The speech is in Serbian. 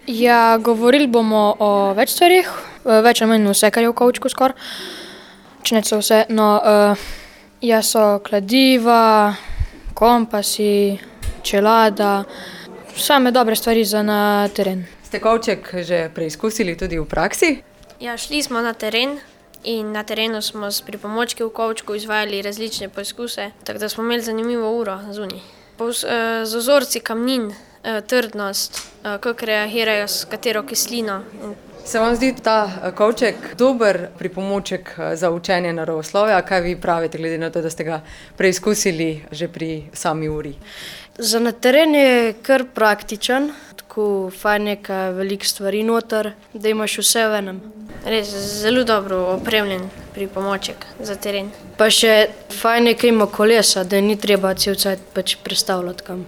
Ja, govorili bomo o več stvarih, več ali manj vse, kar je v kovčku skoraj. Če ne celo vse, no, ja, so kladiva, kompasi, čelada, same dobre stvari za na teren. Ste kovček že preizkusili tudi v praksi? Ja, šli smo na teren in na terenu smo s pripomočki v kovčku izvajali različne poizkuse, tako da smo imeli zanimivo uro zunaj. Z vzorci kamnin, trdnost, kako reagirajo s katero kislino. Se vam zdi ta kovček dober pripomoček za učenje naravoslovja? Kaj vi pravite, glede na to, da ste ga preizkusili že pri sami uri? Za na teren je kar praktičen, tako fajn je, kaj je veliko stvari noter, da imaš vse v enem. Res zelo dobro opremljen pripomoček za teren. Pa še fajn je, kaj ima kolesa, da ni treba cel cajt prestavljati kam.